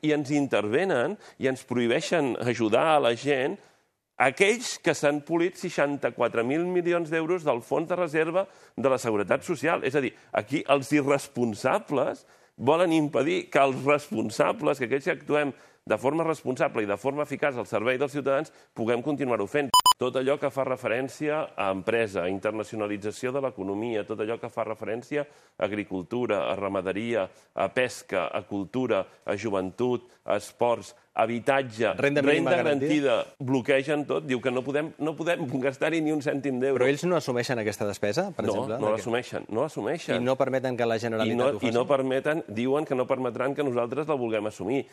i ens intervenen i ens prohibeixen ajudar a la gent aquells que s'han polit 64.000 milions d'euros del fons de reserva de la Seguretat Social. És a dir, aquí els irresponsables volen impedir que els responsables, que aquells que actuem de forma responsable i de forma eficaç al servei dels ciutadans, puguem continuar-ho fent. Tot allò que fa referència a empresa, a internacionalització de l'economia, tot allò que fa referència a agricultura, a ramaderia, a pesca, a cultura, a joventut, a esports, habitatge, renda garantida, bloquegen tot, diu que no podem gastar-hi ni un cèntim d'euro. Però ells no assumeixen aquesta despesa, per exemple? No l'assumeixen. I no permeten que la Generalitat ho faci? I no permeten, diuen que no permetran que nosaltres la vulguem assumir.